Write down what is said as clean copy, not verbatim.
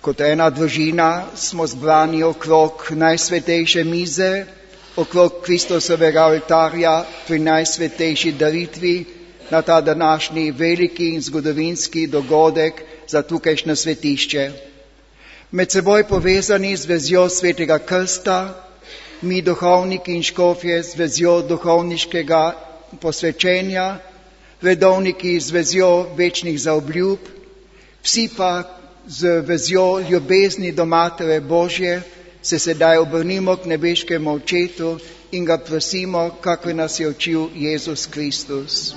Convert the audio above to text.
Kot ena družina smo zbrani okrog najsvetejše mize, okrog Kristusovega oltarja pri najsvetejši daritvi na ta današnji veliki in zgodovinski dogodek za tukajšnje svetišče. Med seboj povezani z vezjo Svetega krsta, mi duhovniki in škofje z vezjo duhovniškega posvečenja, redovniki z vezjo večnih zaobljub, vsi pa z vezjo ljubezni do Matere Božje se sedaj obrnimo k nebeškemu Očetu in ga prosimo, kako nas je učil Jezus Kristus.